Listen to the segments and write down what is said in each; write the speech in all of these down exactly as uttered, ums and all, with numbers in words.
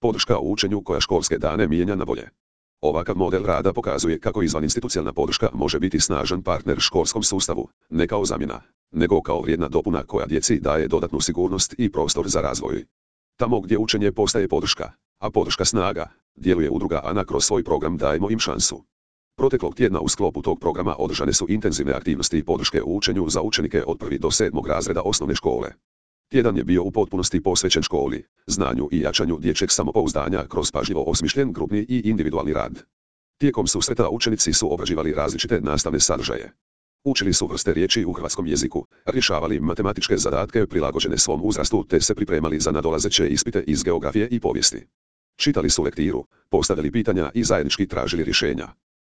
Podrška u učenju koja školske dane mijenja na bolje. Ovakav model rada pokazuje kako izvaninstitucionalna podrška može biti snažan partner školskom sustavu, ne kao zamjena, nego kao vrijedna dopuna koja djeci daje dodatnu sigurnost i prostor za razvoj. Tamo gdje učenje postaje podrška, a podrška snaga, djeluje udruga Ana kroz svoj program Dajmo im šansu. Proteklog tjedna u sklopu tog programa održane su intenzivne aktivnosti i podrške u učenju za učenike od prvog do sedmog razreda osnovne škole. Tjedan je bio u potpunosti posvećen školi, znanju i jačanju dječjeg samopouzdanja kroz pažljivo osmišljen grupni i individualni rad. Tijekom susreta učenici su obrađivali različite nastavne sadržaje. Učili su vrste riječi u hrvatskom jeziku, rješavali matematičke zadatke prilagođene svom uzrastu te se pripremali za nadolazeće ispite iz geografije i povijesti. Čitali su lektiru, postavljali pitanja i zajednički tražili rješenja.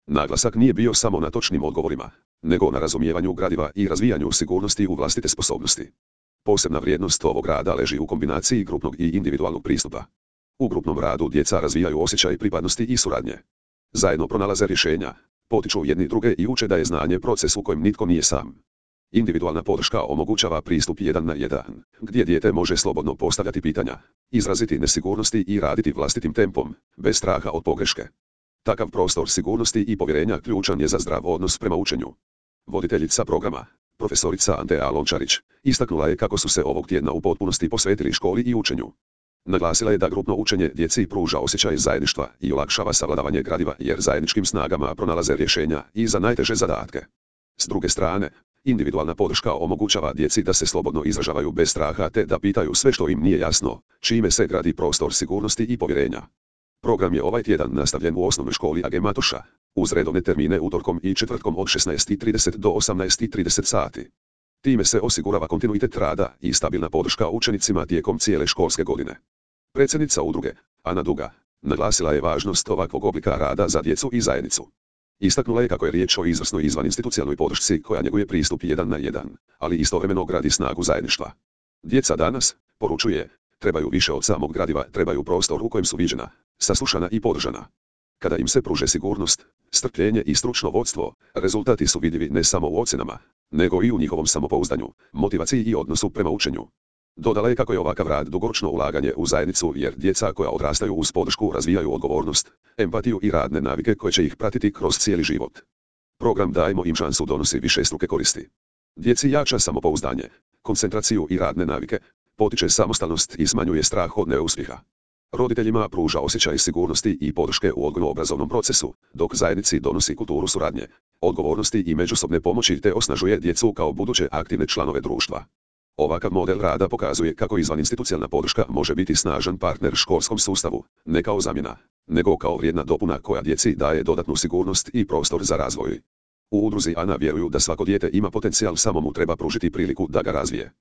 Naglasak nije bio samo na točnim odgovorima, nego na razumijevanju gradiva i razvijanju sigurnosti u vlastite sposobnosti. Posebna vrijednost ovog rada leži u kombinaciji grupnog i individualnog pristupa. U grupnom radu djeca razvijaju osjećaj pripadnosti i suradnje. Zajedno pronalaze rješenja, potiču jedni druge i uče da je znanje proces u kojem nitko nije sam. Individualna podrška omogućava pristup jedan na jedan, gdje dijete može slobodno postavljati pitanja, izraziti nesigurnosti i raditi vlastitim tempom, bez straha od pogreške. Takav prostor sigurnosti i povjerenja ključan je za zdrav odnos prema učenju. Voditeljica programa, profesorica Antea Lončarić, istaknula je kako su se ovog tjedna u potpunosti posvetili školi i učenju. Naglasila je da grupno učenje djeci pruža osjećaj zajedništva i olakšava savladavanje gradiva jer zajedničkim snagama pronalaze rješenja i za najteže zadatke. S druge strane, individualna podrška omogućava djeci da se slobodno izražavaju bez straha te da pitaju sve što im nije jasno, čime se gradi prostor sigurnosti i povjerenja. Program je ovaj tjedan nastavljen u osnovnoj školi A G Matoša, uz redovne termine utorkom i četvrtkom od šesnaest i trideset do osamnaest i trideset sati. Time se osigurava kontinuitet rada i stabilna podrška učenicima tijekom cijele školske godine. Predsjednica udruge, Ana Duga, naglasila je važnost ovakvog oblika rada za djecu i zajednicu. Istaknula je kako je riječ o izvrsnoj izvaninstitucionalnoj podršci koja njeguje pristup jedan na jedan, ali istovremeno gradi snagu zajedništva. Djeca danas, poručuje, trebaju više od samog gradiva, trebaju prostor u kojem su viđena, saslušana i podržana. Kada im se pruže sigurnost, strpljenje i stručno vodstvo, rezultati su vidljivi ne samo u ocjenama, nego i u njihovom samopouzdanju, motivaciji i odnosu prema učenju. Dodala je kako je ovakav rad dugoročno ulaganje u zajednicu jer djeca koja odrastaju uz podršku razvijaju odgovornost, empatiju i radne navike koje će ih pratiti kroz cijeli život. Program Dajmo im šansu donosi višestruke koristi. Djeci jača samopouzdanje, koncentraciju i radne navike, potiče samostalnost i smanjuje strah od neuspjeha. Roditeljima pruža osjećaj sigurnosti i podrške u odgojno-obrazovnom procesu, dok zajednici donosi kulturu suradnje, odgovornosti i međusobne pomoći te osnažuje djecu kao buduće aktivne članove društva. Ovakav model rada pokazuje kako izvaninstitucionalna podrška može biti snažan partner školskom sustavu, ne kao zamjena, nego kao vrijedna dopuna koja djeci daje dodatnu sigurnost i prostor za razvoj. U udruzi Ana vjeruju da svako dijete ima potencijal, samo mu treba pružiti priliku da ga razvije.